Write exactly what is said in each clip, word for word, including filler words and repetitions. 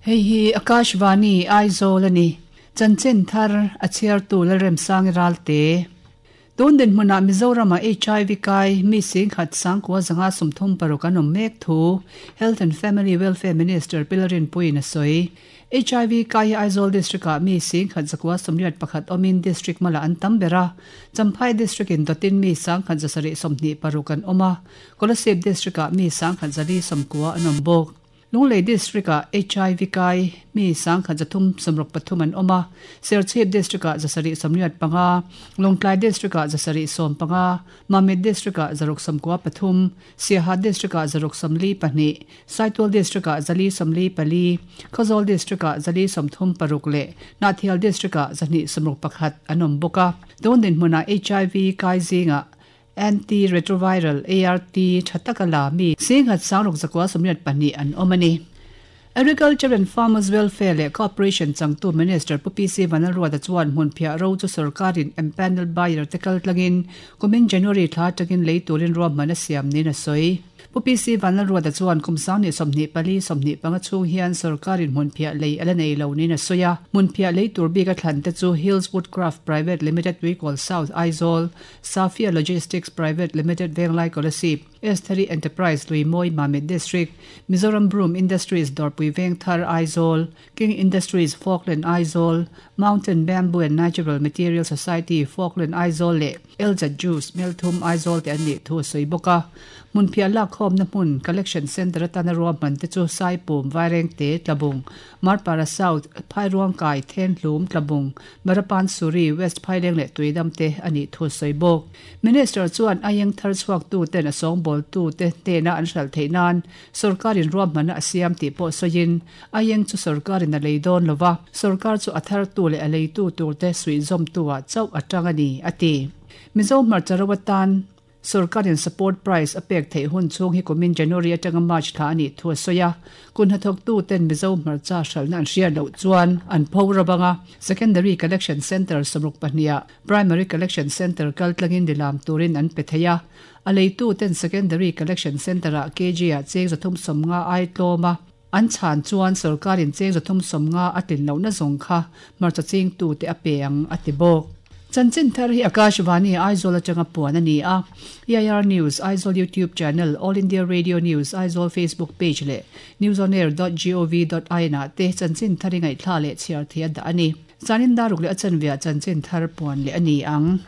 Hei hi Akashvani Aizawl ani. Chanchin thar a chhiar tu Lalremsangi Ralte. Tun dinhmuna Mizoram a H I V kai mi singkhat sangkua zanga sumthum paruk an awm mek thu Health and Family Welfare Minister Pilarin Puin a sawi. H I V kai Aizawl District a mi singkhat zakua sumriat pakhat awmin district mala an tam bera. Champhai District in dotin mi sangkhat zasari sawmhnih paruk an awm a. Kolasib District a mi sangkhat zali sawmkua an awm bawk. Lunglei District a H I V kai mi sangkhat zathum sawmruk pathum an awm a. Serchhip District a zasari sawmriat panga, Lawngtlai District a zasari sawm panga, Mamit District a zaruk sawmkua pathum, Siaha District a zaruk sawmli pahnih, Saitual District a zali sawmli pali, Khawzawl District a zali sawmthum paruk leh Hnahthial District a zahnih sawmruk pakhat an awm bawk a. Tun dinhmunah H I V kai zinga antiretroviral A R T thatakala mi singhat sangruk zakwa sawmriat pahnih an awm ani. Agriculture and Farmers Welfare le Corporation changtu Minister Pu P C Vanlalruata chuan hmun phiah ro chu sarkarin empanel buyer te kal tlangin kumin January thla takin lei turin ruahman a siam nin a sawi. Pu P C Vanlalruata chuan kum sangni sawmhnih pali sawmhnih panga chhung hian sarkarin hmun phiah lei ala nei lo nin a sawi a. Hmun phiah lei tur bik a thlan te chu Hills Woodcraft Private Limited Tuikawl South Aizawl, Safia Logistics Private Limited Venglai Kolasib, Estheri Enterprise Luimoi Mamit District, Mizoram Broom Industries Dorpui Vengthar Aizawl, King Industries Falkland Aizawl, Mountain Bamboo and Natural Material Society Falkland Aizawl le Elza Juice Melthum Aizawl te an nih thu a sawi bawk a. Hmun phiah lak khawm na hmun Collection Center atana ruahman te chu Saipum Vaireng te Tlabung, Marpara South Phairuang Kai Thenhlum Tlabung, Marapan Suri West Phaileng leh Tuidam te ani thu sawi bawk. Minister chuan ayeng thar chhuak tu ten a sawngbâwl tu te hnena an hral theih nan sarkarin ruahman a siam tih pawh sawiin ayeng chu sarkarin a lei dawn lova sarkar chu a thar tu leh a lei tu tur te suih zawm tu ah chauh atang ani a ti. Mizo hmarcha atan sarkarin support price a pek theih hun chhung hi kumin January atanga March thla ani thu a sawi a. Kun hnathawk tu ten Mizo hmarcha hralhna an hriat loh chuan an pho rawanga Secondary Collection Center sawmruk pahnih Primary Collection Center kal tlangin dilam turin an pe thei a. A lei tu ten Secondary Collection Center a K G a cheng zathum sawmnga ai tlawm a. An chhan chuan sarkarin cheng zathum sawmnga a tlin lohna zawng kha hmarcha ching tu te a pe ang a ti bawk. Chanchin thar hi Akashvani Aizawl atanga puan ani a. E I R News Aizawl YouTube channel, All India Radio News Aizawl Facebook page le newsonair dot gov dot in a te chanchin thari ngai thla le chhiar thia da ani. Chanin daruk le achanvia chanchin thar puan le ani ang.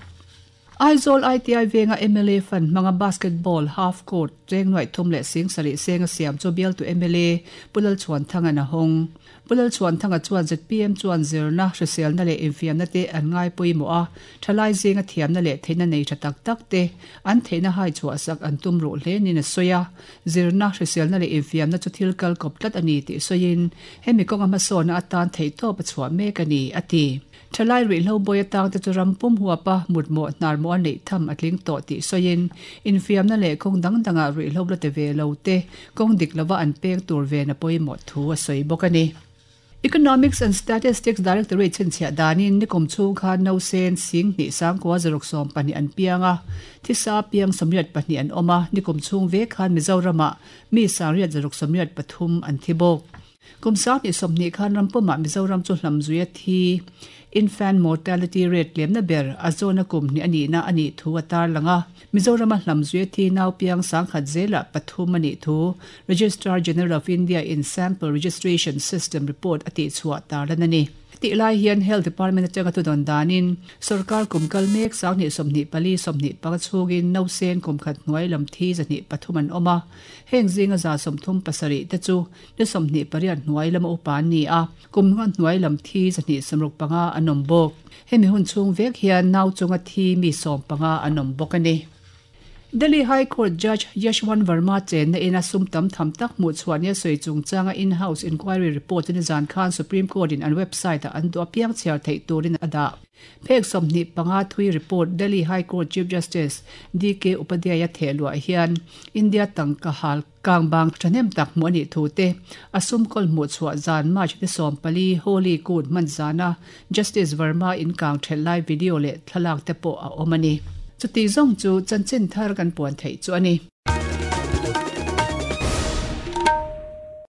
Aizawl I T I venga M L A fan manga basketball half court cheng noi thum le sing sari senga siam chu bial tu M L A Pulal chuan thanga na hong. Pulal chuan thanga chuan Z P M chuan zirna hrisel na le infiam na te an ngai pui mo a thalai zinga thiam na le theina nei tha tak tak te an theina hai chua sak an tum ru hle ni na soya zirna hrisel na le infiam na chu thil kal kop tlat ani ti soyin hemi konga ma so na atan thei to pa chua mek ani ati. Thalai ri lo boy atang te chu rampum huapa mutmo hnar mo nei tham atling to ti soyin infiam na le kong dang danga ri lo la te ve lo te kong dik lova an pek tur ve na poimo thu a soi bawk ani. Economics and Statistics Directorate chinchia danin nikum chung khan no sen sing ni sangkwa zaruk som pani an pianga thisa piang somriat pani an oma nikum chung ve khan Mizorama mi sangriat zaruk somriat pathum an thibok. Kum sang ni somni khan rampuma Mizoram chu hlam zuia thi infant mortality rate lemna ber azona kum ni ani na ani thu atar langa Mizoram hlam zuia thi nau piang sangkhat zela pathum ani thu Registrar General of India in Sample Registration System report ati chhuwa tarlan ani. Ti lai hian Health Department atanga tu don danin sarkar kumkal mek sangni somni pali somni pangchugin no sen kumkhat hnuai lam thi zani pathum an oma heng zinga za somthum pasari te chu ni somni pariat hnuai lam upan ni a kumnga hnuai lam thi zani samruk panga anom bawk hemi hun chung vek hian nau chunga thi mi som panga anom bawk ani. Delhi High Court Judge Yashwant Verma chen na ina sum tam tham tak mu chuan ya soi chung changa in-house inquiry report in zan khan Supreme Court in an website an do piang chiar thei turin ada. Phek somni panga thui report Delhi High Court Chief Justice D K Upadhyaya thelua hian India tangka hal kangbang thanem tak mu ani thu te asum kol mu chua zan March ni som pali Holy Court manzana Justice Verma in kang thelai video le thlalak te po a omani. Chuti zong chu chanchin thar kan puan thei chu ani.